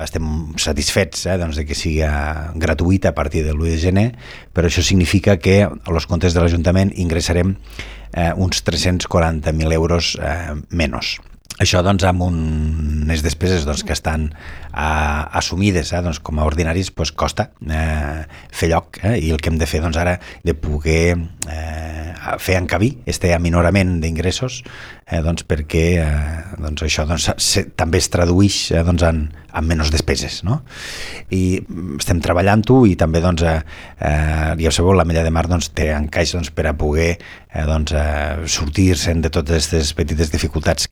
estem satisfets doncs, de que sigui gratuïta a partir del 1 de gener, però això significa que als comptes de l'Ajuntament ingressarem uns 340.000 euros menys. Això doncs, amb unes despeses doncs, que estan assumides doncs, com a ordinaris, doncs, costa fer lloc, i el que hem de fer doncs, ara de poder fer encabir este aminorament d'ingressos doncs, perquè doncs, això doncs, també es tradueix doncs, en menys despeses, no? I estem treballant-ho i també doncs, ja sabeu, l'Ametlla de Mar doncs, té encaix doncs, per a poder doncs, sortir-se'n de totes aquestes petites dificultats